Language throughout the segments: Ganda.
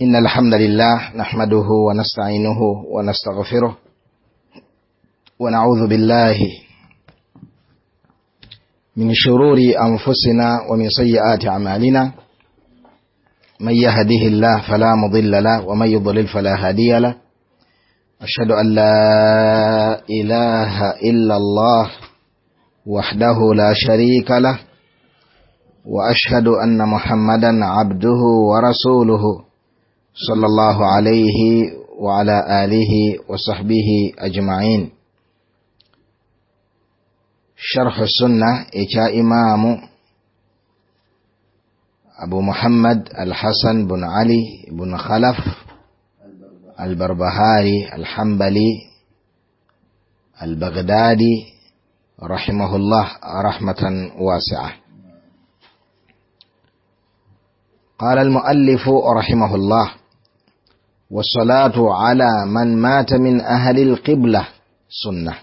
إن الحمد لله نحمده ونستعينه ونستغفره ونعوذ بالله من شرور أنفسنا ومن سيئات أعمالنا من يهده الله فلا مضل له ومن يضلل فلا هادي له أشهد أن لا إله إلا الله وحده لا شريك له وأشهد أن محمدا عبده ورسوله صلى الله عليه وعلى آله وصحبه أجمعين. شرح السنة إشاء إمام أبو محمد الحسن بن علي بن خلف البربهاري الحنبلي البغدادي رحمه الله رحمة واسعة. قال المؤلف رحمه الله: والصلاة على من مات من أهل القبلة سنة،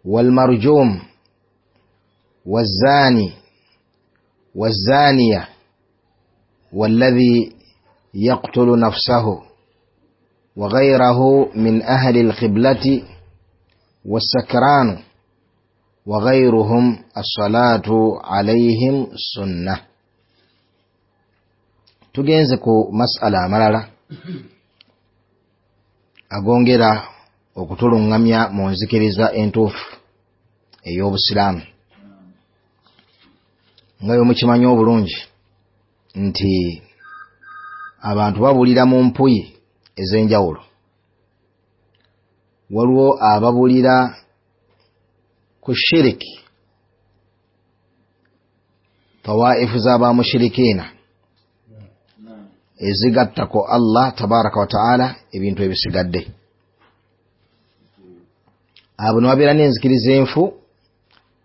والمرجوم والزاني والزانية والذي يقتل نفسه وغيره من أهل القبلة والسكران وغيرهم الصلاة عليهم سنة. Tugenze ku masala amalala agongera okutulungamya mu nzikiriza entuufu ey'obusiraamu. Nga bwe mukimanyi obulungi nti abantu babulira mu mpuyi ez'enjawulo. Waliwo ababulira ku shiriki, tawaifu z'abamushirikiina ezigattako Allah tabaraka wa taala ebintu ebisigadde. Abo ne babeera n'enzikiriza enfu,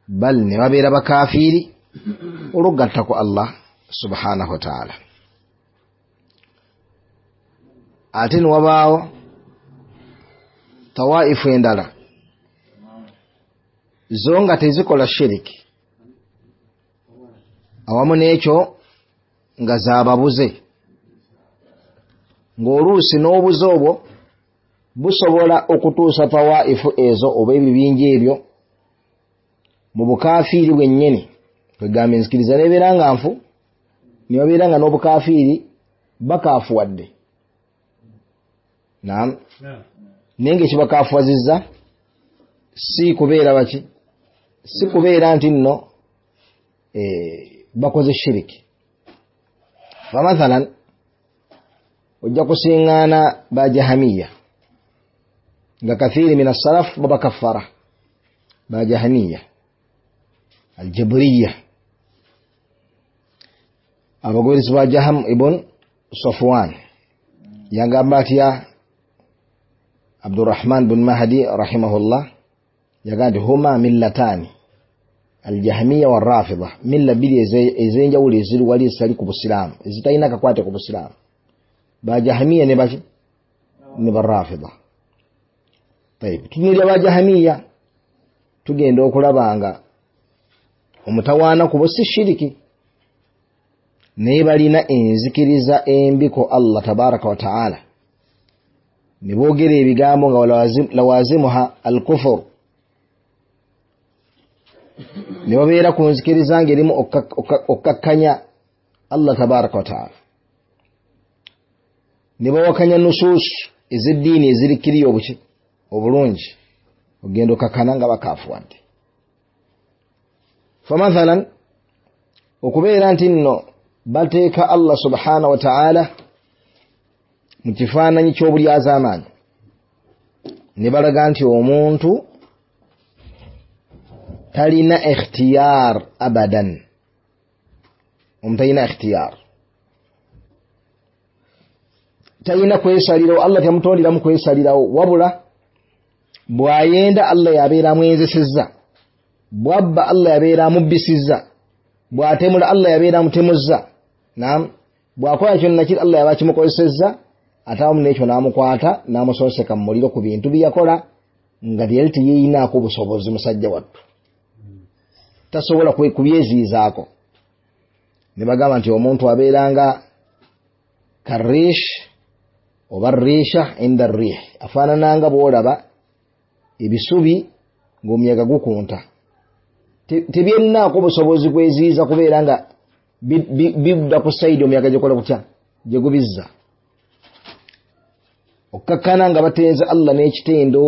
bal ne babeera bakafiiri olw'okugattako Allah subhanahu wa taala. Ate ne wabaawo tawaifu endala zo nga tezikola shiriki, awamu n'ekyo nga zaababuze, ng'oluusi n'obuze obwo busobola okutuusa tawaifu ezo oba ebibinja ebyo mu bukafiiri bwennyini. Kwegamba enzikiriza n'ebeera nga nfu, ne babeera nga n'obukafiiri bakaafuwadde. Naam, naye ng'ekibakaafuwazizza si kubeera baki, si kubeera nti nno bakoze shiriki. Famathalan ojja kusiŋŋaana bajahamiya nga kathiri min assalaf babakaffara, bajahamiya aljabriya, abagoberezi ba Jaham ibn Safwan. Yagamba atya Abdurrahman bin Mahdi rahimahullah? Yagamba nti huma millatani aljahmiya warrafida, milla bbiri ez'enjawulo eziri wali ezitali ku busiraamu, ezitalina kakwate ku busiraamu, bajahmiya ne baki ne barrafida. Tayib, tunuulira bajahmiya tugenda okulaba nga omutawaana kubo si shiriki, naye balina enzikiriza embi ku Allah tabaraka wa taala, ne boogera ebigambo nga lawazimuha alkufur, ne babeera ku nzikiriza ng'erimu okkakkanya Allah tabaraka wa taala, ne bawakanya nusuusu ez'eddiini ezirikkiriya obuki obulungi, ogenda okakkana nga bakaafuwadde. Famathalan okubeera nti nno bateeka Allah subhanahu wa taala mu kifaananyi ky'obulyazaamaanyi, ne balaga nti omuntu talina ikhtiyar abadan, omuntu talina ikhtiyar, talina kwesalirawo, Allah temutonderamu kwesalirawo, wabula bw'ayenda Allah yabeera amwenzesezza, bw'abba Allah yabeera amubbisizza, bw'atemula Allah yabeera amutemuzza, naam, bw'akola kyonna kiri Allah yaba akimukozesezza, ate awamu n'ekyo n'amukwata n'amusonseka mu muliro ku bintu bye yakola nga yali teyeyinaako busobozi. Musajja wattu tasobola kubyeziyizaako. Ne bagamba nti omuntu abeeranga karish oba risha inda rih, afaanananga bw'olaba ebisubi ng'omuyaga gukunta, tebyennaako busobozi kweziyiza kubeera nga bidda ku sayidi omuyaga gyekola kutya gye gubizza. Okkakkana nga batenza Allah n'ekitendo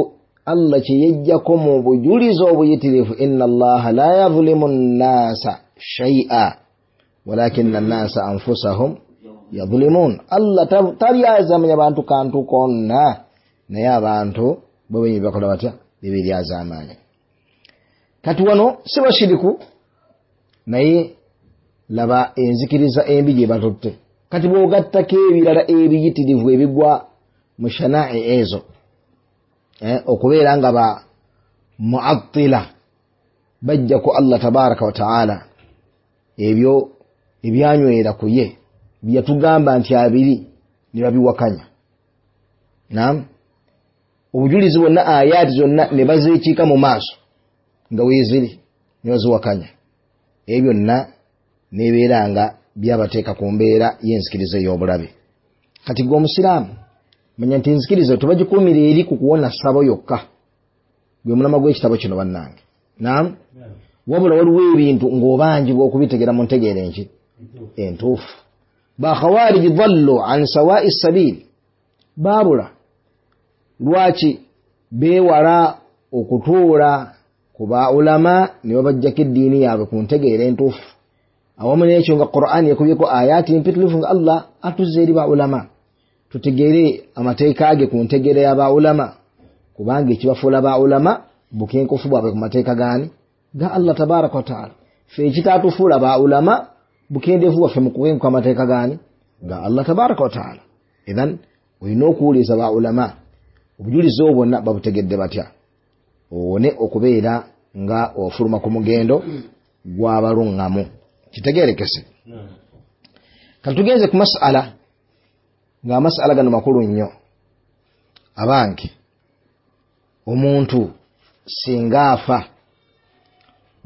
Allah kye yejjako mu bujulizi obuyitirivu, inna Allaha la yadhlimu nnaasa shay'a walakinna nnaasa anfusahum yadhlimun. Allah talyazamanya bantu kantu konna, naye abantu bo bennyini bakola batya? Beberyazamaanya. Kati wano si bashiriku, naye laba enzikiriza embi gye batutte. Kati bw'ogattako ebirala ebiyitirivu ebigwa mu shanaa'i ezo, okubeera nga ba muattila bajja ku Allah tabaraka wa taala ebyo ebyanywera ku ye byatugamba nti abiri ne babiwakanya. Naam, obujulizi bwonna ayaati zonna ne bazeekiika mu maaso nga weeziri ne baziwakanya. Ebyo byonna nebeera nga byabateeka ku mbeera y'enzikiriza ey'obulabe. Kati gwe omusiraamu manya nti enzikiriza tebagikuumira eri ku kuwona ssabo yokka, gwe mulama gw'ekitabo kino bannange. Naam, wabula waliwo ebintu ng'obanjibwa okubitegera mu ntegeera enki entuufu. Bakhawariji dhallu an sawa'i sabil, baabula. Lwaki? Beewala okutuula ku ba ulama ne babajjako eddiini yaabwe ku ntegeera entuufu. Awamu n'ekyo nga Qur'an ekubyeko ayaati mpitirivu nga Allah atuzza eri ba ulama tutegeere amateeka ge ku ntegeera ya ba ulama, kubanga ekibafuula ba ulama bukenkufu bwabwe ku mateeka gaani? Ga Allah tabaraka wa taala. Ffe ekitaatufuula ba ulama bukendeevu bwaffe mu kukenkuka amateeka gaani? Ga Allah tabaraka wa taala. Idhan olina okuwuliza ba ulama obujulizi obwo bwonna babutegedde batya, owone okubeera nga ofuluma ku mugendo gw'abaluŋŋamu. Kitegeerekese. Kati tugenze ku masala, ng'amasala gano makulu nnyo. Abange, omuntu singa afa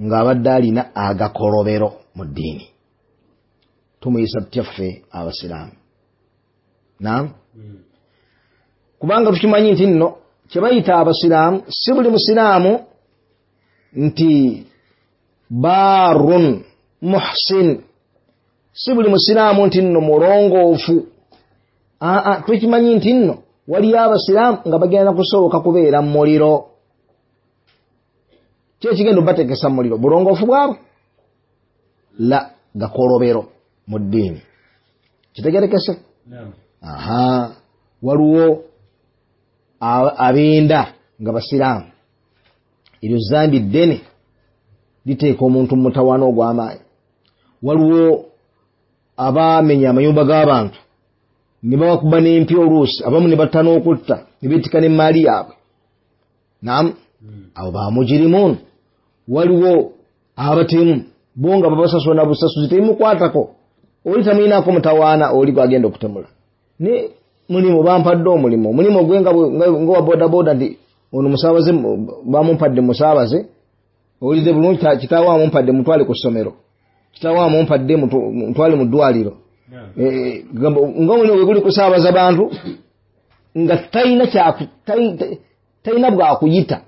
ng'abadde alina agakolobero mu ddiini, tumuyisa tutya ffe abasiraamu? Naam, kubanga tukimanyi nti nno kye bayita abasiraamu si buli musiraamu nti barun muhsin, si buli musiraamu nti nno mulongoofu. Aa, tukimanyi nti nno waliyo abasiraamu nga bagenda kusooka kubeera mu muliro. Ki ekigenda obateekesa mu muliro? Bulongoofu bwabwe? La, gakolobero mu ddiini. Kitegerekese? Aha, waliwo abenda nga basiraamu, eryo zambi ddene liteeka omuntu mu mutawaana ogw'amaanyi. Waliwo abamenya amayumba g'abantu ne babakuba n'empi oluusi, abamu ne batta n'okutta ne beetika n'emmaali yaabwe. Naam, abo bamujirimuun. Waliwo abatemu bo nga babasasula na busasuzi tebimukwatako, oli tamuyinaako mutawaana, oli gwagenda okutemula. Ne mulimu bampadde omulimu, omulimu gwe nga wa bodaboda nti ono musaabaze bamumpadde musaabaze, owulidde bulungi, kitaawe amumpadde mutwale ku ssomero, kitaawe amumpadde mutwale mu ddwaliro. Nga omulimu gwe guli kusaabaza bantu nga talina bwakuyita,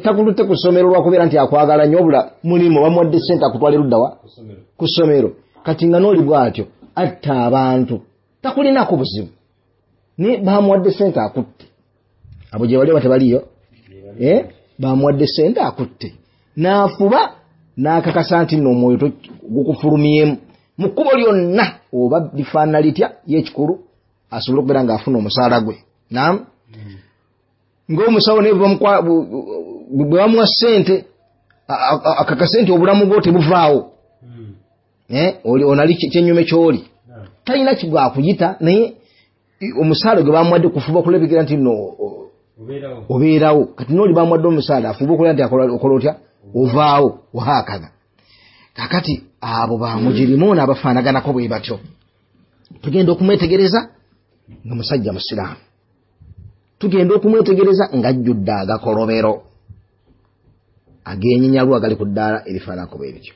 takulutte ku ssomero lwakubeera nti akwagala nnyo, obula mulimu bamuwadde ssente akutwale luddawa ku ssomero. Kati nga n'oli bw'atyo atta abantu takulinako buzibu, naye bamuwadde ssente akutte. Abo gye bali oba tebaliyo? Bamuwadde ssente akutte, n'afuba n'akakasa nti nno omwoyo gukufulumyemu mu kkubo lyonna oba lifaanana litya, ye ekikulu asobole okubeera ng'afuna omusaala gwe. Naam, ng'omusawo naye bwe bamuwa ssente akakase nti obulamu bwo tebuvaawo, onali kyennyume ky'oli, talina kibwakuyita, naye omusaala gwe bamuwadde kufuba okulabikira nti nno obeerawo. Kati n'oli bamuwadde omusaala afuba okulaba nti okola otya, ovaawo, wahakadha. Kakati abo bamujirimuuna abafaanaganako bwe batyo tugenda okumwetegereza nga musajja musiraamu, tugenda okumwetegereza ng'ajjudde agakolobero ag'enyinyalwa agali ku ddaala erifaananako bwe bityo.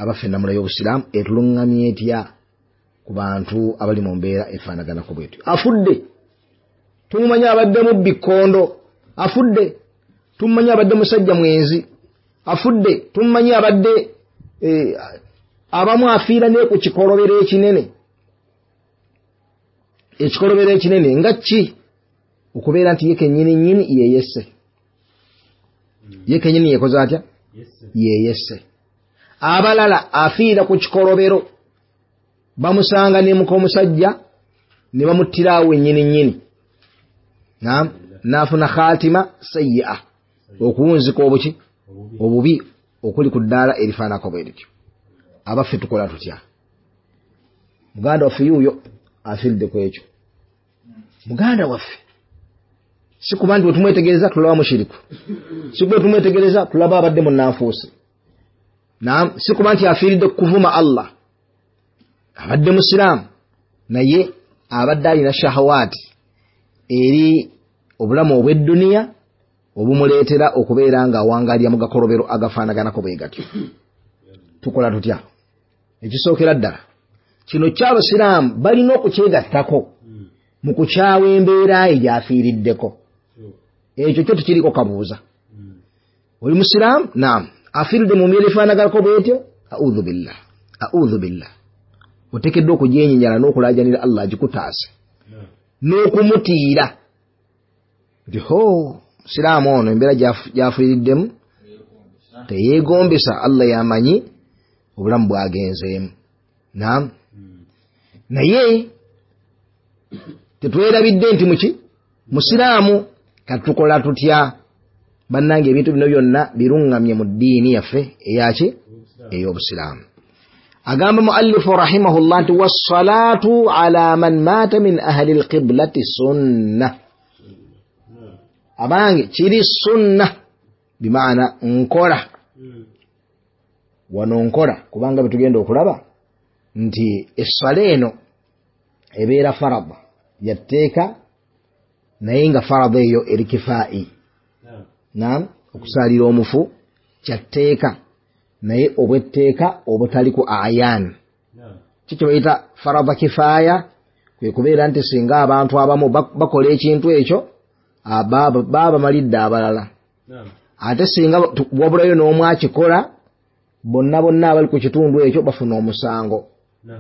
Abaffe, ennamula y'obusiraamu etuluŋŋamya etya ku bantu abali mu mbeera efaanaganako bwetyo? Afudde, tumumanyi abadde mubbi kkondo, afudde, tumumanyi abadde musajja mwenzi, afudde, tumumanyi abadde abamu afiira ne ku kikolobero ekinene. Ekikolobero ekinene nga ki? Okubeera nti ye kennyini nnyini yeyesse, ye kennyini yekoze atya? Yeyesse. Abalala afiira ku kikolobero, bamusanga ne muka omusajja ne bamuttirawo ennyini nnyini, naam, n'afuna khatima sayyi'a, okuwunzika obuki obubi okuli ku ddaala erifaanako bwe lityo. Abaffe, tukola tutya? Muganda waffe yuuyo afiiridde ku ekyo. Muganda waffe si kuba nti bwe tumwetegereza tulaba mushiriku, si kuba tumwetegereza tulaba abadde munnanfuusi, naam, si kuba nti afiiridde kuvuma Allah, abadde musiraamu naye abadde alina shahawaati eri obulamu obw'edduniya obumuleetera okubeera nga awangalira mu gakolobero agafaanaganako bwe gatyo. Tukola tutya? Ekisookera ddala, kino ky'abasiraamu balina okukyegattako mu kukyawa embeera ye gy'afiiriddeko. Ekyo kyo tekiriko kabuuza. Oli musiraamu, naam, afiiridde mu mbeera efaanaganako bwetyo, audhu billah, audhu billah, oteekeddwa okugyenyinyala n'okulaajanira Allah agikutaase n'okumutiira nti ho musiraamu ono embeera gy'afiiriddemu teyeegombesa, Allah yamanyi obulamu bwagenzeemu. Naam, naye tetwerabidde nti muki musiraamu. Katukola tutya bannange? Ebintu bino byonna biruŋŋamye mu ddiini yaffe eyaki? Ey'obusiraamu. Agamba muallifu rahimahullah nti wassalaatu ala man maata min ahli lqiblati sunna. Abange, kiri sunna bimaana nkola wano, nkola kubanga betugenda okulaba nti essala eno ebeera farada yatteeka, naye nga farada eyo eri kifaa'i. Naam, okusaalira omufu kyatteeka naye obwetteeka obutali ku ayan. Kiki bayita farada kifaaya? Kwe kubeera nti singa abantu abamu bakola ekintu ekyo, baba bamalidde abalala, ate singa wabulayo n'omu akikola, bonna bonna abali ku kitundu ekyo bafuna omusango.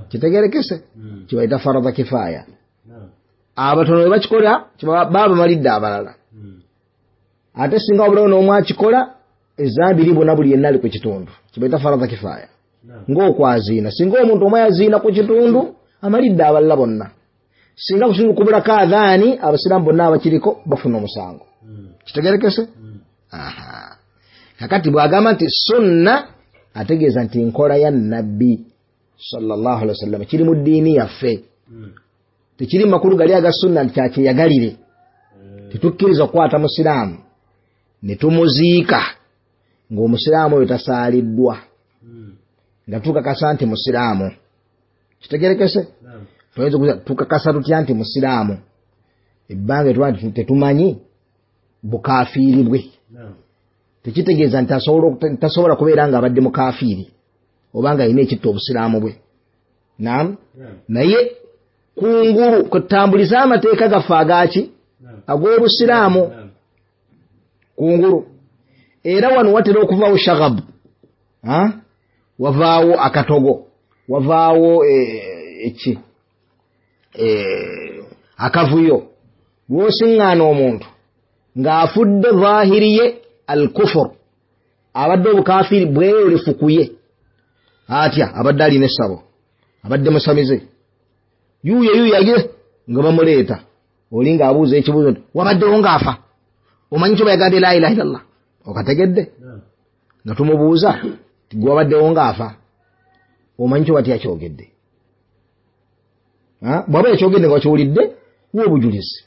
Kitegerekese? Kibayita farada kifaaya. Abatono bwe bakikola baba bamalidde abalala, ate singa wabulayo n'omu akikola, ezambi libona buli yenna ali ku kitundu. Kibayita farada kifaaya. Ng'okwaziina, singa omuntu omu yaziina ku kitundu, amalidde abalala bonna. Singa ku kitundu kubulako adhaani, abasiraamu bonna abakiriko bafuna omusango. Kitegerekese? Aha, kakati bw'agamba nti sunna, ategeeza nti nkola ya Nabbi sallallahu alaihi wasallam, kiri mu ddiini yaffe, tekiri makulu gali aga sunna nti kyakyeyagalire. Tetukkiriza okukwata musiraamu ne tumuziika ng'omusiraamu oyo tasaaliddwa, nga tukakasa nti musiraamu. Kitegerekese? Tuyinza tukakasa tutya nti musiraamu ebbanga etuba nti tetumanyi bukafiiri bwe? Tekitegeeza nti tasobola kubeera nga abadde mukafiiri oba nga alina ekitta obusiraamu bwe. Naam, naye kungulu kwetutambuliza amateeka gaffe agaki? Ag'obusiraamu kungulu. Era wano watera okuvaawo shagabu, wavaawo akatogo, wavaawo eki akavuyo lwosiŋŋaana omuntu ng'afudde zahiriye al kufur, abadde obukafiri bweyolefukuye atya, abadde alina essabo, abadde musamize, yuuyo yuuyo agire nga bamuleeta, oli ng'abuuza ekibuuzo nti wabaddewo ng'afa, omanyi kyo bayagambye la ilaha illallah, okategedde? Nga tumubuuza ti gwe wabaddewo ng'afa, omanyi kyo batya kyogedde? Bw'aba yakyogedde nga wakiwulidde, wa obujulizi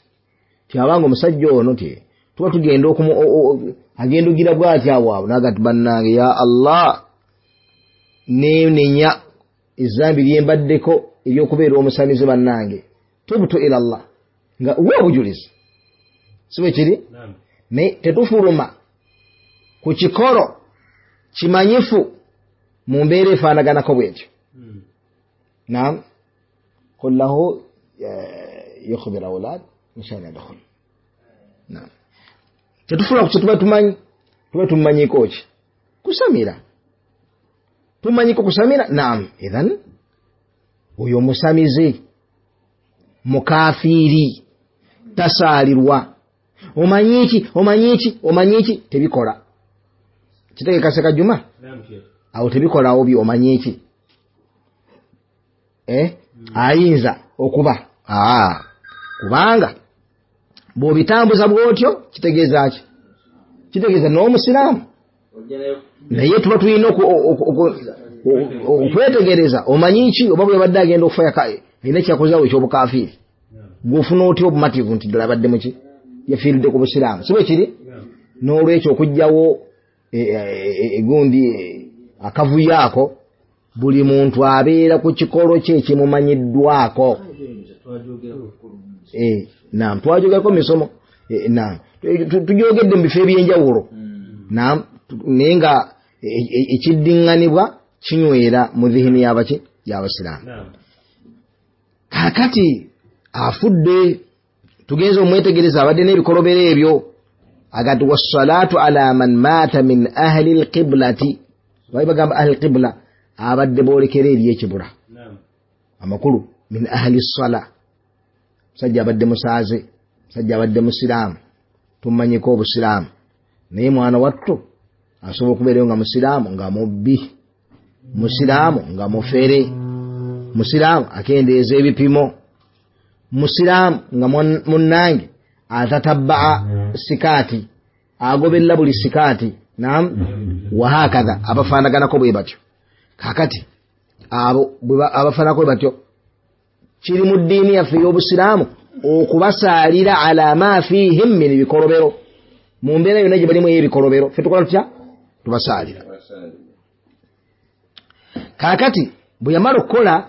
ti abanga omusajja ono ti tuba tugenda agenda ogira bw'ati awo awo naga ti bannange, ya Allah, neenenya ezambi lyembaddeko ery'okubeera omusamize, bannange, tubtu ila Allah, nga wa obujulizi. Si bwe kiri? Naye tetufuluma ku kikolo kimanyifu. Mu mbeera efaanaganako bwetyo. Naam, qul lahu yukhbir awlad inshallah yadkhul. Naam, tetufuna ku kyetuba tumanyi, tuba tumanyiko ki? Kusamira. Tumanyiko kusamira. Naam, idhan oyo musamize mukafiiri tasaalirwa. Omanyiki, omanyiki, omanyiki, tebikola. Kitegeka Seka Juma? Awo tebikolawo bi omanyiki. Ayinza okuba. Kubanga bw'obitambuza bw'otyo kitegeeza ki? Kitegeeza n'omusiraamu. Naye tuba tulina okwetegereza omanyi ki oba bwe badde agenda okufa alina kyakozeewo eky'obukafiiri. Bw'ofuna otya obumativu nti ddala abadde muki? Yafiiridde ku busiraamu. Si bwe kiri? N'olwekyo okuggyawo egundi akavuyo ako, buli muntu abeera ku kikolo kye ekimumanyiddwako. Naam, twajogerako misomo. Naam, tujogedde mu bifo eby'enjawulo. Naam, naye nga ekiddiŋŋanibwa kinywera mu dhihini y'abaki? Y'abasiraamu. Kaakati afudde, tugenze omwetegereza abadde n'ebikolobero ebyo. Agati wassalatu ala man maata min ahli alqiblati. Bali bagamba ahli alqibla, abadde boolekera eri ekibula. Amakulu min ahli ssala, musajja abadde musaaze, musajja abadde musiraamu, tumanyiko obusiraamu, naye mwana wattu asobola okubeerayo nga musiraamu nga mubbi, musiraamu nga mufere, musiraamu akendeeza ebipimo, musiraamu nga munnange atatabbaa sikaati, agoberera buli sikaati. Naam, wahakadha abafaanaganako bwe batyo. Kaakati abo abafaananako bwe batyo kiri mu ddiini yaffe ey'obusiraamu okubasaalira ala ma fihim min bikolobero, mu mbeera yonna gye balimu ey'ebikolobero. Ffe tukola tutya? Tubasaalira. Kaakati bwe yamala okukola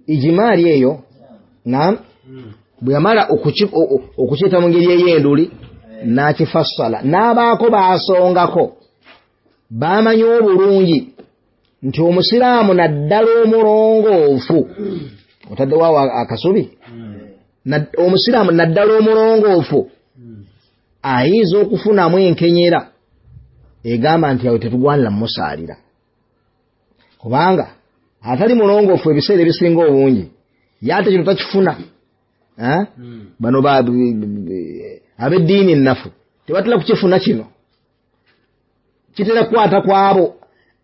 ijimaali eyo, naam, bwe yamala okukyeta mu ngeri ey'enduli n'akifassala, n'abaako baasongako bamanyi obulungi nti omusiraamu naddala omulongoofu, otaddewo awo akasubi, omusiraamu naddala omulongoofu ayinza okufunamu enkenyera egamba nti awo tetugwanira mumusaalira, kubanga atali mulongoofu ebiseera ebisinga obungi yate kino takifuna. Bano ab'eddiini ennafu tebatera kukifuna kino, kitera kukwata ku abo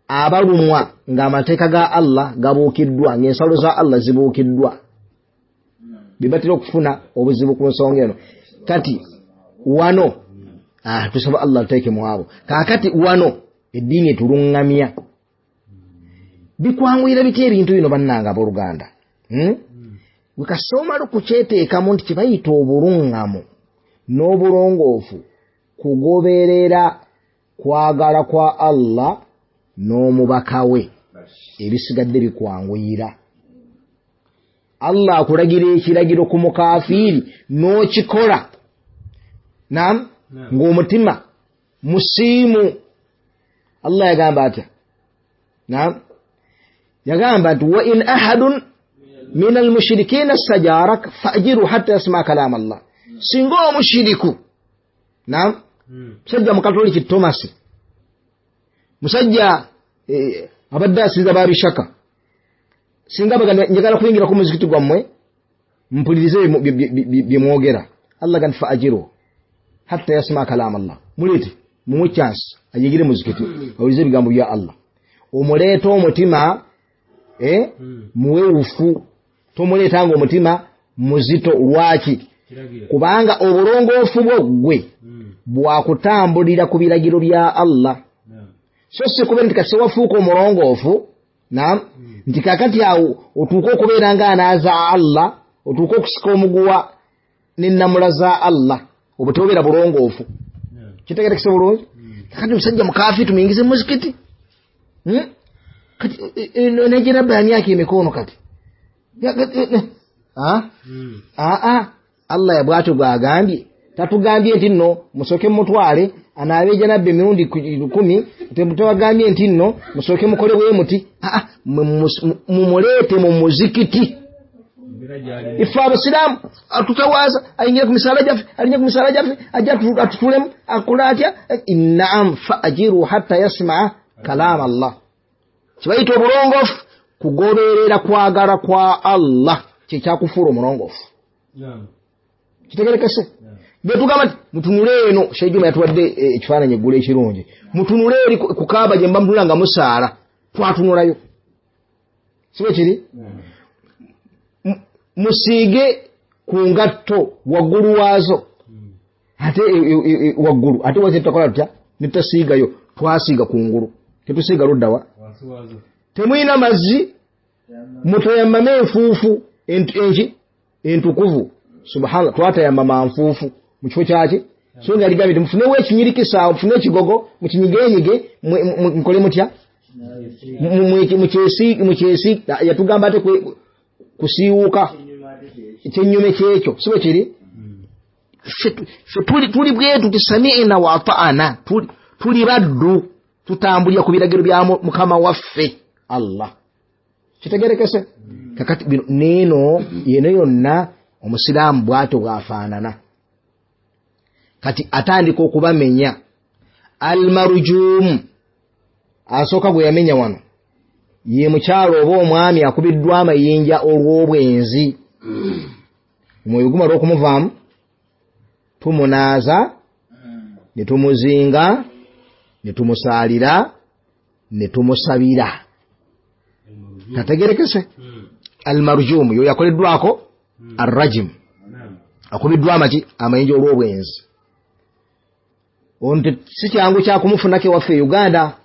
abalumwa ng'amateeka ga Allah gabuukiddwa, ng'ensalo za Allah zibuukiddwa, be batera okufuna obuzibu ku nsonga eno. Kati wano tusaba Allah tuteeke mu abo. Kaakati wano eddiini etuluŋŋamya bikwanguyira bitya ebintu bino bannange abooluganda? Wekasoma okukyeteekamu nti kye bayita obuluŋŋamu n'obulongoofu kugoberera kwagala kwa Allah n'omubaka we, ebisigadde bikwanguyira. Allah akulagira ekiragiro ku mukafiiri n'okikola, naam, ng'omutima musiimu. Allah yagamba atya? Naam, yagamba nti wa in ahadun min almushirikina stajarak faajiru hatta yasmaa kalama Allah. Singa omushiriku, naam, musajja mukatoliki Tomasi, musajja abadde asinza babishaka, singa bagamba njagala kuyingira ku muzikiti gwammwe mpulirize bye mwogera, Allah gamba faajiru hatta yasmaa kalama Allah, muleete mumuwe chance ayingire muzikiti awulize ebigambo bya Allah. Omuleeta omutima muwewufu, tomuleetanga omutima muzito. Lwaki? Kubanga obulongoofu bwo ggwe bwakutambulira ku biragiro bya Allah, so si kubeera nti kati wafuuka omulongoofu, naam, nti kakati awo otuuke okubeera ng'anaaza Allah, otuuke okusika omuguwa n'ennamula za Allah, obwo tebubeera bulongoofu. Kitegeerekese bulungi? Kakati omusajja mukafi tumuyingize mu muzikiti, kati negerabba ya myaka emikono kati Allah bw'atyo bw'agambye Tatugambye nti nno musooke mutwale anaabe janabbe emirundi 10, tebagambye nti nno musooke mukole bwe muti. Mumuleete mu muzikiti. Ife abasiraamu atutawaza, ayingira ku misaala gyaffe, alinnya ku misaala gyaffe, ajja atutulemu, akola atya? Naam, fa ajiru hatta yasmaa kalaama Allah. Kibayita obulongoofu, kugoberera kwagala kwa Allah kyekyakufuula omulongoofu. Kitegerekese? Bwe tugamba nti mutunule eno, Sheikh Juma yatuwadde ekifaananyi eggulo ekirungi, mutunule eri ku Kaaba gye mba mutunula nga musaala, twatunulayo, si bwe kiri? Musiige ku ngatto waggulu waazo, ate waggulu ate waze tutakola tutya ne tutasiigayo, twasiiga ku ngulu, tetusiiga luddawa. Temulina mazzi, mutayamame enfuufu enki entukuvu. Subhanallah, twatayamama nfuufu mu kifo kyaki? So nga ligambye nti mufunewo ekinyirikisa, mufune ekigogo, mukinyigenyige, mukole mutya, mukyesi. Yatugamba ate kusiiwuuka ekyennyume kyekyo, si bwe kiri? Ffe tuli bwetu ti sami'na wa ata'ana, tuli baddu, tutambulira ku biragiro bya Mukama waffe Allah. Kitegerekese? Kakati bino neeno yeno yonna omusiraamu bw'atyo bw'afaanana. Kati atandika okubamenya. Almarujumu asooka gwe yamenya wano ye mukyalo oba omwami akubiddwa amayinja olw'obwenzi. Omwoyo gumala okumuvaamu, tumunaaza, ne tumuzinga, ne tumusaalira, ne tumusabira. Kategerekese? Almarujumu yo yakoleddwako arrajim, akubiddwa amaki amayinja olw'obwenzi. Ono si kyangu kyakumufunako ewaffe e Uganda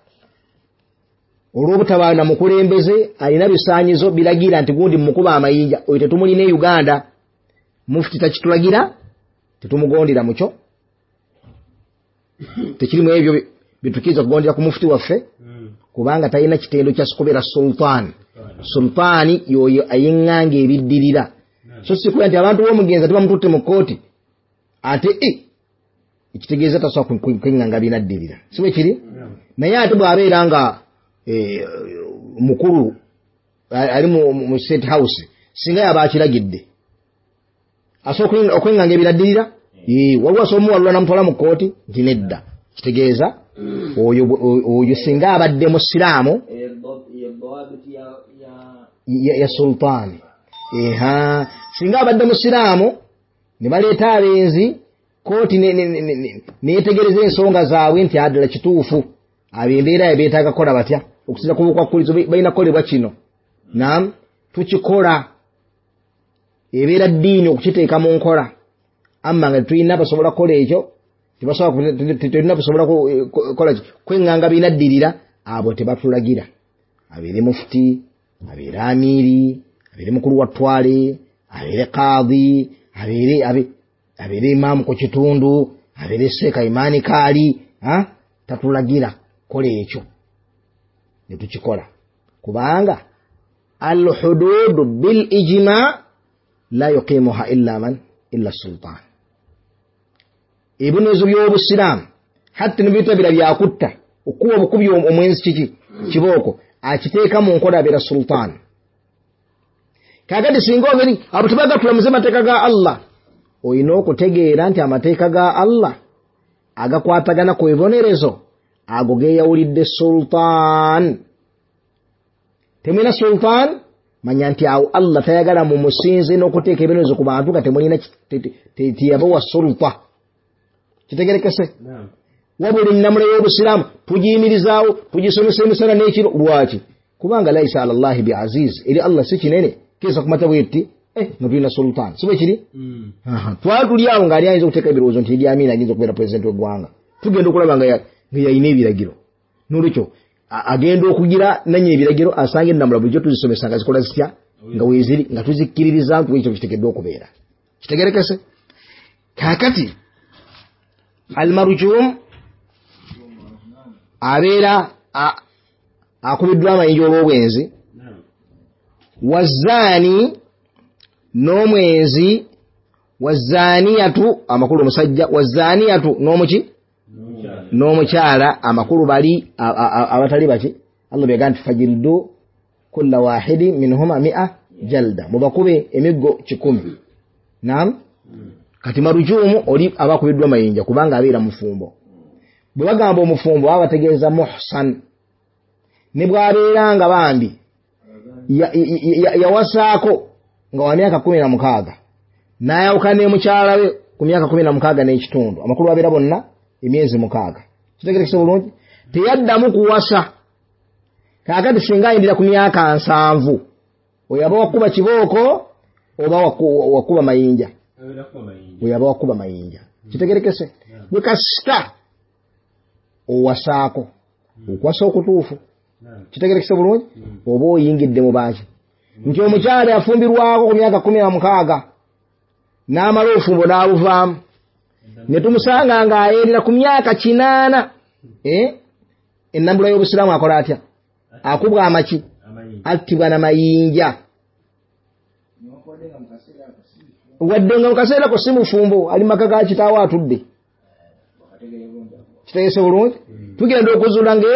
olw'obutaba na mukulembeze alina bisaanyizo biragira nti gundi mukuba amayinja, oyo tetumulina e Uganda. Mufti takitulagira, tetumugondera mukyo, tekirimu ebyo bitukkiriza kugondera ku mufti waffe, kubanga talina kitendo kya kubeera sultaani. Sultaani y'oyo ayiŋŋanga ebiddirira. So si kuba nti abantu b'omugenzi tebamututte mu kkooti ate ekitegeeza tasobola kweŋŋanga binaddirira, si bwe kiri? Naye ate bw'abeera nga mukulu ali mu state house, singa yaba akiragidde asobola okweŋŋanga ebinaddirira, waliwo asobola omuwalula namutwala mu kkooti nti nedda. Kitegeeza oyo singa abadde musiraamu ya sultaani. Singa abadde musiraamu ne baleeta abenzi, kooti neyetegereza ensonga zaabwe nti addala kituufu, abo embeera ye beetaaga kukola batya, okusinza ku bukwakkulizo balina kukolebwa kino. Naam, tukikola, ebeera ddiini okukiteeka mu nkola. Amma nga tetulina basobola kukola ekyo, tetulina basobola kukola kweŋŋanga binaddirira, abo tebatulagira. Abeere mufuti, abeere amiiri, abeere mukulu wa ttwale, abeere kaadi, abeere imaamu ku kitundu, abeere seeka imaani kaali, tatulagira kola ekyo ne tukikola, kubanga alhududu bil ijma la yuqimuha illa man illa sultan. Ebibonerezo by'obusiraamu hatta ne bitabira byakutta, okuwa obukubi omwenzi kiki kibooko, akiteeka mu nkola abeera sultan. Kakati singa oberi abo tebagatulamuze mateeka ga Allah, olina okutegeera nti amateeka ga Allah agakwatagana ku bibonerezo ago geeyawulidde sultan. Temulina sultan, manya nti awo Allah tayagala mumusinze n'okuteeka ebibonerezo ku bantu nga temulina teyabawa sulta. Kitegerekese? Wabula ennamula y'obusiraamu tugiyimirizaawo, tugisomesa emisana n'ekiro. Lwaki? Kubanga laisa ala llahi bi aziz, eri Allah si kinene kesa kumata bwetti nga tulina sultan, si bwe kiri? Twali tuli awo ng'ali ayinza okuteeka ebirowoozo nti Idi Amin ayinza okubeera pulezidenti w'eggwanga, tugenda okulaba nga yalina ebiragiro. N'olwekyo agenda okugira nanye ebiragiro, asanga ennamula bulijjo tuzisomesa nga zikola zitya, nga weeziri, nga tuzikkiririza nti ekyo kiteekeddwa okubeera. Kitegerekese? Kaakati almarujum abeera akubiddwa amayinja olw'obwenzi, wazaani n'omwenzi, Wazaniyatu amakulu omusajja, wazaniyatu n'omuki n'omukyala, amakulu bali abatali baki. Allah byaga nti fajildu kulla wahidi minhuma 100 jalda, mubakube emiggo 100. Naam. Kati marujumu oli abakubiddwa mayinja kubanga abeera mufumbo. Bwe bagamba omufumbo baba bategeeza muhsan, ne bw'abeera nga bambi yawasaako nga wa myaka 16 n'ayawukana ne mukyala we ku myaka 16 n'ekitundu, amakulu abeera bonna emyezi 6. Kitegeerekese bulungi, teyaddamu kuwasa. Kaakati singa ayindira ku myaka 70, oyo aba wakuba kibooko oba wakuba mayinja, oyo aba wakuba mayinja. Kitegeerekese bwe kasita owasaako okuwasa okutuufu, kitegeerekese bulungi, oba oyingidde mu baaki nti omukyala yafumbirwako ku myaka 16 n'amala obufumbo n'abuvaamu, ne tumusanga ng'ayendera ku myaka 8, ennambula y'obusiraamu akola atya? Akubwa amaki, attibwa na mayinja. Wadde nga mu kaseera ko si mufumbo, ali maka ga kitaawe atudde. Kitegeese bulungi, tugenda okuzuula nga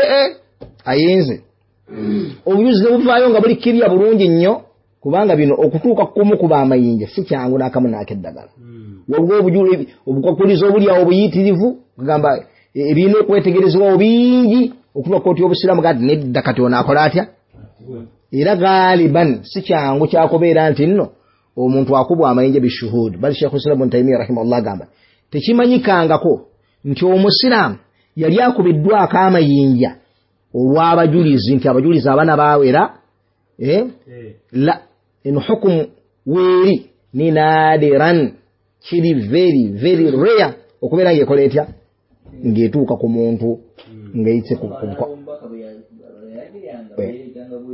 ayinze. Obujuzi ne buvaayo nga buli kirya bulungi nnyo, kubanga bino okutuuka kumukuba amayinja si kyangu n'akamu n'akeddagala. Waliwo obukwakkulizo obuli awo obuyitirivu, kugamba ebirina okwetegerezebwawo bingi okutuuka kkooti y'obusiraamu gati nedda, kati ono akola atya? Era galiban si kyangu kyakubeera nti nno omuntu akubwa amayinja bishuhud. Bali Sheikh Islam Ibn Taymiyyah rahimahullah agamba tekimanyikangako nti omusiraamu yali akubiddwako amayinja olw'abajulizi, nti abajulizi abaana baawera la eno hukumu weeri ni nadiran, kiri very very rare okubeera ng'ekola etya, ng'etuuka ku muntu ng'eyitse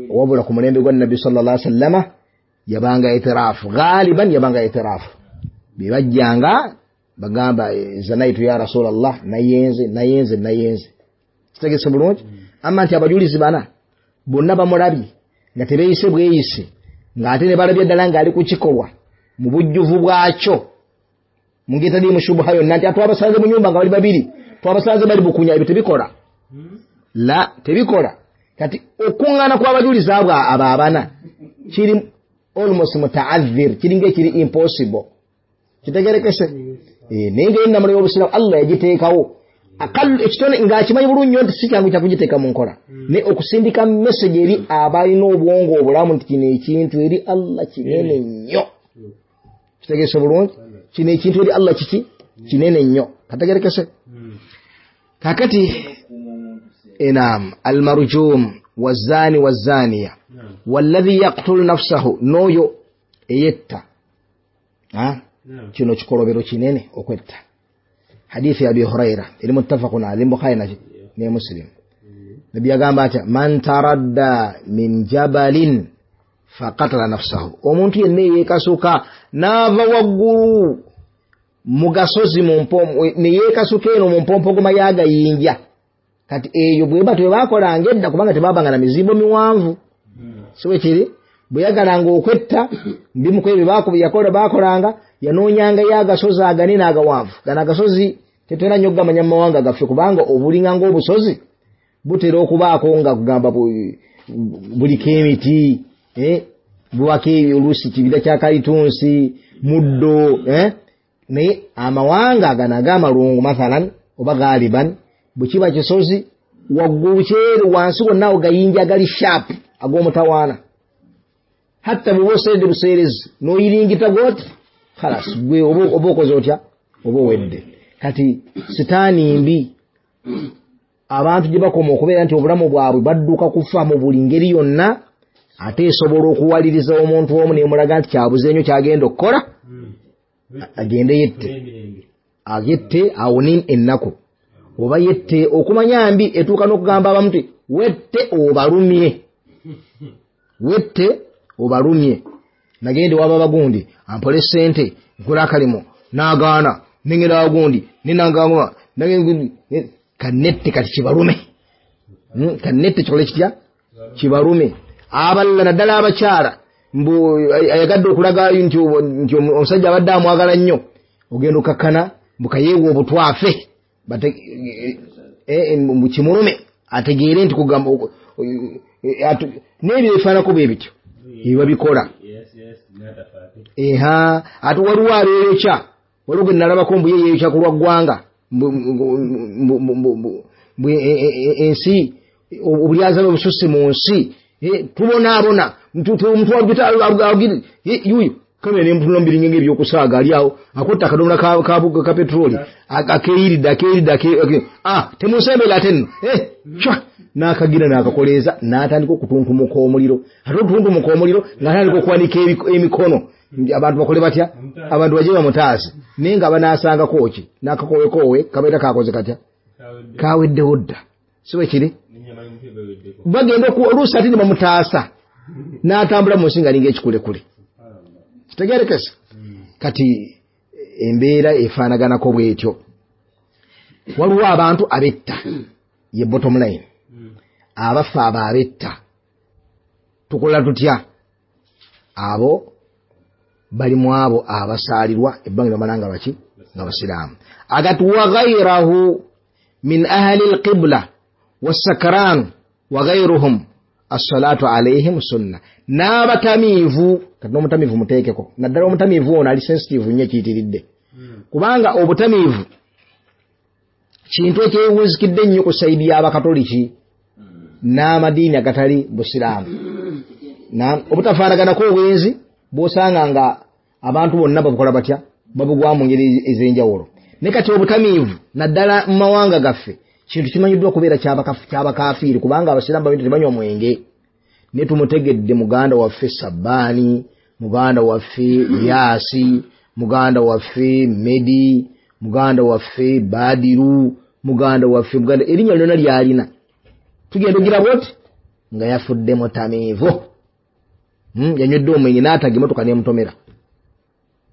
wabula ku mulembe gwa Nabbi sallallahu alaihi wasallama yabanga itirafu, galiban yabanga itirafu, bebajjanga bagamba zanaitu ya Rasulallah, nayenze nayenze nayenze. Kitegeese bulungi. Amma nti abajulizi bana bonna bamulabye nga tebeeyise bweyise, ng'ate ne balabye ddala ng'ali ku kikolwa mu bujjuvu bwakyo, mu ngeri etaliimu shubuha yonna, nti twabasanze mu nyumba nga bali babiri, twabasanze bali bukunya, ebyo tebikola, la tebikola. Kati okuŋŋaana kw'abajulizi abo abo abana kiri almost mutaadhir, kiringa ekiri impossible. Kitegerekese. Naye nga ennamula y'obusiraamu Allah yagiteekawo ekitone ng'akimanyi bulungi nnyo nti si kyangu kya kugiteeka mu nkola, naye okusindika message eri abalina obwongo obulamu nti kino ekintu eri Allah kinene nnyo. Kitegeese bulungi, kino ekintu eri Allah kiki kinene nnyo. Kategerekese. Kaakati enam almarjum wazani wazaniya walladhi yaqtulu nafsahu, n'oyo eyetta. Kino kikolobero kinene okwetta. Hadithi ya Abi Huraira eri muttafaqun alayhi, Bukhari ne Muslim. Nabbi yagamba atya, man taradda min jabalin faqatala nafsahu, omuntu yenna yeekasuka n'ava waggulu mu gasozi ne yeekasuka eno mu mpompogoma y'agayinja. Kati eyo bweba tebakolanga edda, kubanga tebabanga na mizimbo miwanvu, si bwe kiri? Bwe yagalanga okwetta bimu ku ebyo bakolanga, yanoonyangayo agasozi aganene agawanvu. Gano agasozi tetera nnyo okugamanya mu mawanga gaffe, kubanga obulinga ng'obusozi butera okubaako nga kugamba buliko emiti, bubako oluusi kibira kya kalitunsi, muddo, naye amawanga gano ag'amalungu mathalan oba galiban, bwe kiba kisozi waggulu kyeru wansi wonna awo gayinja agali sharp ag'omutawaana, hatta bw'oba oseredde buseerezi n'oyiringita gwoti khalas, gwe oba okoze otya, oba owedde. Kati sitaani mbi abantu gye bakoma okubeera nti obulamu bwabwe badduka kufa mu buli ngeri yonna, ate esobola okuwaliriza omuntu omu nemulaga nti kyabuze nnyo kyagenda okukola, agende yette, agette awone ennaku, oba yette okumanya mbi etuuka n'okugamba abamu nti wette obalumye, wette obalumye. Nagende waba bagundi ampole sente nkola akalimu n'agaana, nengenda wagundi nenanganguma kanette, kati kibalume, kanette kikole kitya, kibalume. Abalala naddala abakyala Mbu ayagadde okulaga nti omusajja abadde amwagala nnyo, ogenda okakkana mbu kayeewa obutwafe mbu kimulume ategeere nti kugamba n'ebyo ebifaanako bwe bityo ebibabikola. Ate waliwo abeeyokya, waliwo gwe nalabako mbu ye yeeyokya ku lwa ggwanga, mbu ensi obulyazaame bususse mu nsi, tubonaabona, yuyo kamera n'empuno mbiringa ng'ebyokusaaga ali awo akotta akadomola ka petroli akeeyiridde temunsembera ate nno n'akagira n'akakoleeza n'atandika okutuntumuka omuliro. Ate okutuntumuka omuliro ng'atandika okuwanika emikono, abantu bakole batya? Abantu bajje bamutaase, naye nga banaasangako ki? N'akakowekoowe kabeera kakoze katya? Kaweddewo dda, si bwe kiri? Bagenda oluusi ate ne bamutaasa n'atambula mu nsi ng'alinga ekikulekule. Kitegeerekese? Kati embeera efaanaganako bw'etyo. Waliwo abantu abetta, ye bottom line, abafa abo abetta tukola tutya? Abo bali mu abo abasaalirwa ebbanga bamala nga baki? Nga basiraamu. Agati wa ghayrahu min ahli alqibla wassakran wa ghayruhum as-salatu alayhim sunna. N'abatamiivu, kati n'omutamiivu muteekeko, naddala omutamiivu ono ali sensitive nnyo ekiyitiridde, kubanga obutamiivu kintu ekyewunzikidde ennyo ku sayidi y'abakatoliki n'amadiini agatali busiraamu. Obutafaanaganako obwenzi bw'osanga nga abantu bonna babukola batya? Babugwa mu ngeri ez'enjawulo. Naye kati obutamiivu naddala mu mawanga gaffe kintu kimanyiddwa okubeera kyabakafiiri, kubanga abasiraamu babintu tebanywa mwenge. Naye tumutegedde muganda waffe Sabbaani, muganda waffe Yaasi, muganda waffe Medi, muganda waffe Badiru, muganda waffe muganda, erinnya lyonna lyalina tugenda ogira bwoti nga yafudde mutamiivu. Yanywedde omwenge n'ataga emmotoka n'emutomera,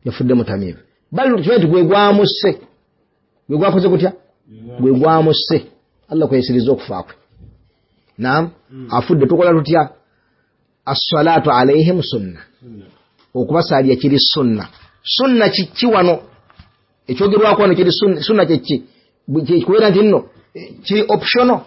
yafudde mutamiivu. Bali tukimanyi nti gwe gwamusse, gwe gwakoze kutya? Gwe gwamusse. Allah kweyisiriza okufa kwe. Naam, afudde tukola tutya? As-salatu alayhim sunna, okubasaalira kiri sunna. Sunna kiki wano? Ekyogerwako wano kiri sunna kyeki? Kubeera nti nno kiri optional,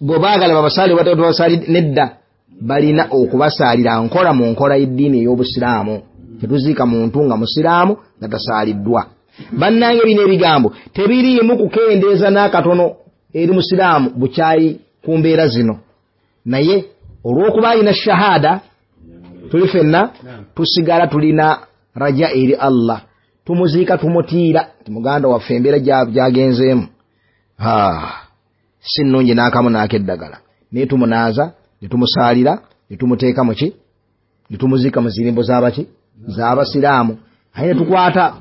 bwe baagala babasaali babasaali nedda, balina okubasaalira nkola mu nkola y'eddiini ey'obusiraamu. Tetuziika muntu nga musiraamu nga tasaaliddwa. Bannange bino ebigambo tebiriimu kukendeeza n'akatono eri musiraamu bukyayi ku mbeera zino, naye olw'okuba alina shahada tuli fenna tusigala tulina raja eri Allah, tumuziika tumutiira ti muganda waffe embeera gy'agenzeemu si nnungi n'akamu n'akeddagala, naye tumunaaza ne tumusaalira ne tumuteeka muki? Ne tumuziika mu zirimbo z'abaki? Z'abasiraamu. Aye ne tukwata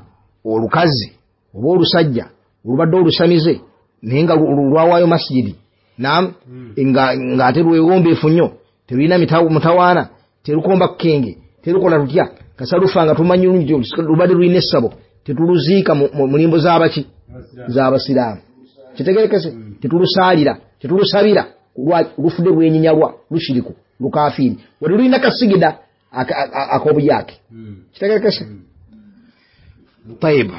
olukazi oba olusajja olubadde olusamize naye nga lwawaayo masjidi, naam, ng'ate lwewombeefu nnyo, terulina mutawaana, terukomba kukenge, terukola tutya, kasa lufa nga tumanyi lubadde lulina essabo, tetuluziika mu limbo z'abaki? Z'abasiraamu. Kitegerekese? Tetulusaalira, tetulusabira, lufudde lwenyinyalwa, lushiriku, lukafiiri, wadde lulina kasigida ak'obuyaake. Kitegerekese? Tayib.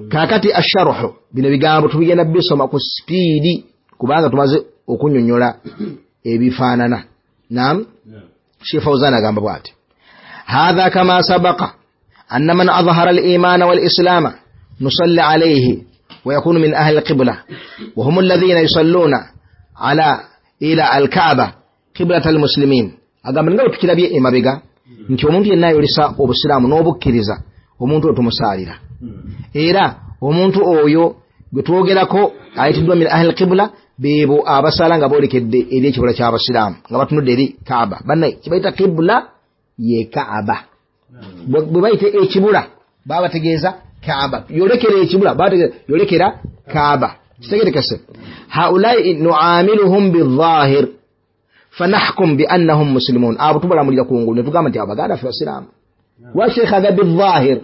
Kaakati asharuhu, bino bigambo tubigenda bisoma ku sipiidi kubanga tumaze okunyonyola ebifaanana. Naam, Sheikh Fawzan agamba bw'ati: hadha kama sabaqa anna man adhahara al-imana wal-islama nusalli alayhi wa yakunu min ahli al-qibla wa hum alladhina yusalluna ala ila al-Kaaba qiblata al-muslimin. Agamba nga tukirabye emabega nti omuntu yenna ayolesa obusiraamu n'obukkiriza, omuntu oyo tumusaalira, era omuntu oyo gwe twogerako ayitiddwa min ahli al-qibla beebo abasaala nga boolekedde eri ekibula ky'abasiraamu nga batunudde eri Kaaba. Bannaye kibayita qibla ye Kaaba, bwe bayita ekibula baba bategeeza Kaaba, yolekera ekibula baba yolekera Kaaba. Kitegerekese? Haulai nuamiluhum bidhahir fanahkum biannahum muslimun. Abo tubalamulira kungulu ne tugamba nti abaganda ffe basiraamu. Lwaki Sheikh agamba bidhahir?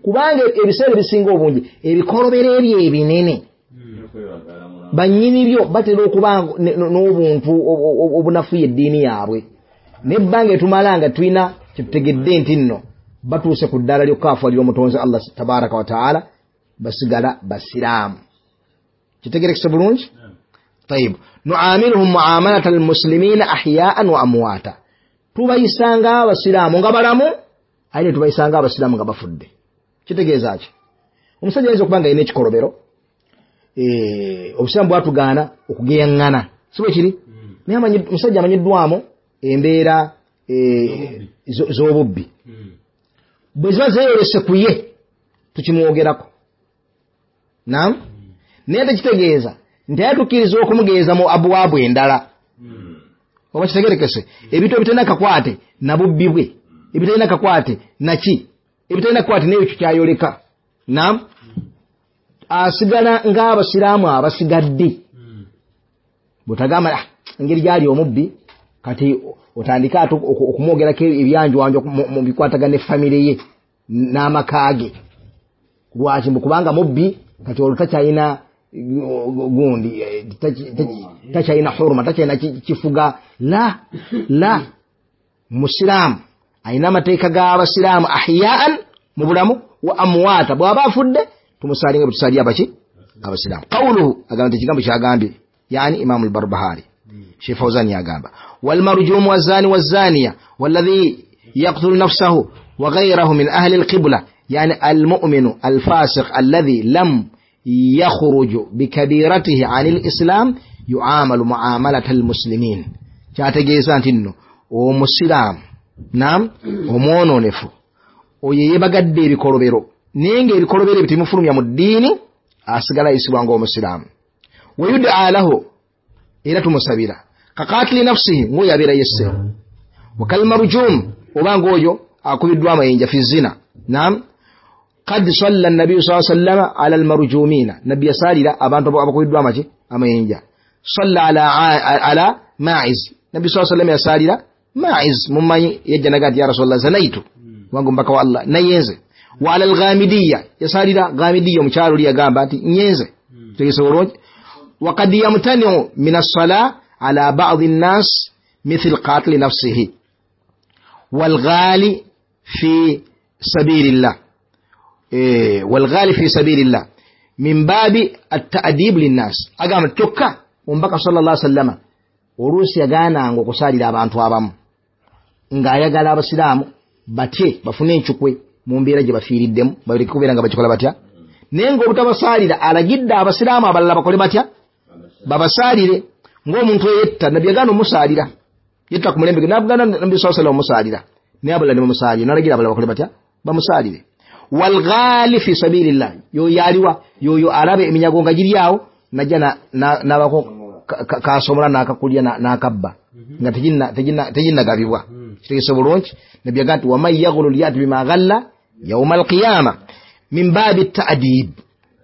Kubanga ebiseera ebisinga obungi ebikolobero ebyo ebinene bannyini byo batera okuba n'obuntu obunafuya eddiini yaabwe. Nebbanga etumala nga tulina kyetutegedde nti nno batuuse ku ddaala ly'okukafuwalira omutonzi Allah tabaraka wa taala, basigala basiraamu. Kitegerekese bulungi? Tayib. Nuamiluhum muamalata almuslimina ahyaan wa amwata, tubayisanga abasiraamu nga balamu aye ne tubayisanga abasiraamu nga bafudde. Kitegeeza ki? Omusajja ayinza okuba nga alina ekikolobero, obusiraamu bwatugaana okugeyaŋŋana, si bwe kiri? Naye omusajja amanyiddwamu embeera z'obubbi, bwe ziba zeeyolese ku ye tukimwogerako. Naam, naye tekitegeeza nti aye tukkiriza okumugeeza mu abuwaabu endala. Oba kitegerekese? Ebintu ebitalina kakwate na bubbi bwe, ebitalina kakwate naki, ebitalina kakwate n'ekyo kyayoleka. Naam, asigala ng'abasiraamu abasigadde. Bw'otagamba engeri gyali omubbi, kati otandike ate okumwogerako ebyanjwanjo mu bikwatagana ne famire ye n'amaka ge. Lwaki? Mbu kubanga mubbi, kati olwo takyalina gundi, takyalina huruma, takyalina kifuga. La la, musiraamu alina amateeka g'abasiraamu ahyaan mu bulamu wa amwata, bw'aba afudde tumusalinga bwe tusalira abaki abasiraamu. Qawluhu, agamba nti ekigambo kyagambye, yani Imamu al-Barbahari, Sheikh Fawzan yagamba, walmarjumu wazani wazaniya walladhi yaqtulu nafsahu wa ghayrahu min ahli alqibla, yani almu'minu alfasiq alladhi lam yakhruju bikabiratihi ani alislam yuamalu muamalata almuslimin. Kyategeeza nti nno omusiraamu, naam, omwononefu oyo yeebagadde ebikolobero, naye ng'ebikolobero ebyo tebimufulumya mu ddiini, asigala ayisibwa ng'omusiraamu. Wayudaa lahu, era tumusabira, kakatili nafsihi, ng'oyo abeera yesse, wakalmarujum, oba ng'oyo akubiddwa amayinja fi zina. Naam, kad salla nabiyu saa sallama ala almarujumina, nabbi yasaalira abantu abakubiddwa amaki amayinja. Salla ala maiz, nabbi saa sallama yasaalira maiz, mumanyi yajja naga nti ya rasulallah zanaitu, wange omubaka wa Allah nayenze. Wa ala alghamidiya, yasaalira ghamidiya omukyalo oli yagamba nti nyenze. Tegese bulungi? وقد يمتنع من الصلاة على بعض الناس مثل قاتل نفسه والغالي في سبيل الله، والغالي في سبيل الله من باب التأديب للناس. أقام التكة ومبكى صلى الله عليه وسلم oluusi yagaananga okusaalira abantu abamu ng'ayagala abasiraamu batye bafune encukwe mu mbeera gye bafiiriddemu, baleke kubeera nga bakikola batya, naye ng'obutabasaalira alagidde abasiraamu abalala bakole batya, babasaalire. Ng'omuntu eyetta, nabbi yagaana omusaalira, yetta ku mulembe gwe, nabagaana nabbi sallallahu alaihi wasallam omusaalira, naye abalala ne bamusaalira, n'alagira abalala bakole batya, bamusaalire. Walghali fi sabilillah, yoyo aliwa, yoyo alaba eminyago nga giri awo, najja n'abako kasomola n'akakulya n'akabba nga teginnagabibwa. Kitegeese bulungi? Nabbi yagamba nti waman yaghlul yati bima ghalla yauma alqiyama, min baabi ta'dib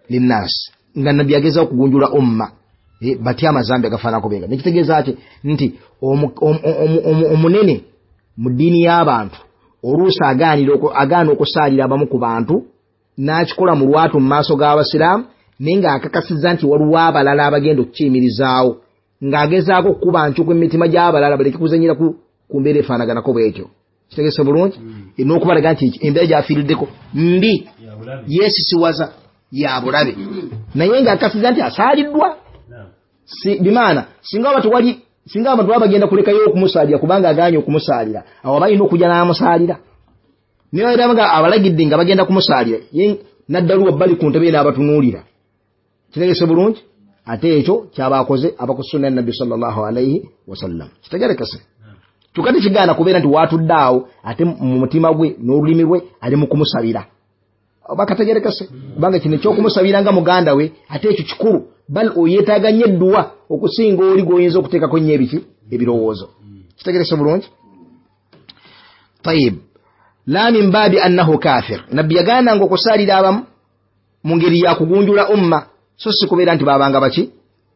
linnas, nga nabbi agezaako okugunjula umma batya amazambi agafaananako benga. Nekitegeeza ki? Nti omunene mu ddiini y'abantu oluusi agaana okusaalira abamu ku bantu, n'akikola mu lwatu mu maaso g'abasiraamu, naye ng'akakasizza nti waliwo abalala abagenda okukiyimirizaawo, ng'agezaako okukuba ncuku emitima gy'abalala baleke kuzannyira ku mbeera efaanaganako bw'etyo. Kitegeese bulungi? N'okubalaga nti embeera gy'afiiriddeko mbi, yeesisiwaza, ya bulabe, naye ng'akakasizza nti asaaliddwa. Bimaana singa abantu baba bagenda kulekayo okumusaalira kubanga agaanye okumusaalira, awo balina okujja n'amusaalira. Naye era nga abalagidde nga bagenda kumusaalira, ye naddaluwa bali ku ntebe n'abatunuulira. Kitegeese bulungi? Ate ekyo kyabakoze abakusunna nabbi sallallahu alaihi wasallam. Kitegerekese? Kyokka tekigaana kubeera nti waatudde awo ate mu mutima gwe n'olulimi lwe ali mu kumusabira. Oba kategerekese? Kubanga kino ekyokumusabira nga muganda we ate ekyo kikulu, bal oyeetaaga nnyo edduwa okusinga oli gw'oyinza okuteekako nnyo ebiki ebirowoozo. Kitegerekese bulungi? Tayib. La min baabi annahu kafir, nabbi yagaananga okusaalira abamu mu ngeri ya kugunjula umma, so si kubeera nti babanga baki,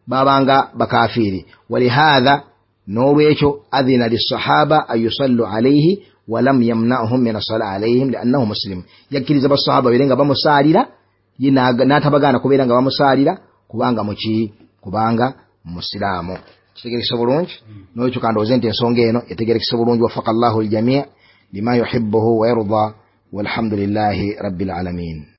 babanga bakafiiri. Walihaadha, n'olwekyo adhina lissahaba an yusallu alaihi walam yamnahum min assala alaihim liannahu muslim, yakkiriza basahaba babeere nga bamusaalira, ye n'atabagaana kubeera nga bamusaalira kubanga muki, kubanga musiraamu. Kitegerekese bulungi? Nolwekyo kandowooze nti ensonga eno etegerekese bulungi. Wafaka llahu ljamii lima yuhibuhu wayarda, walhamdulillahi rabbil alamin.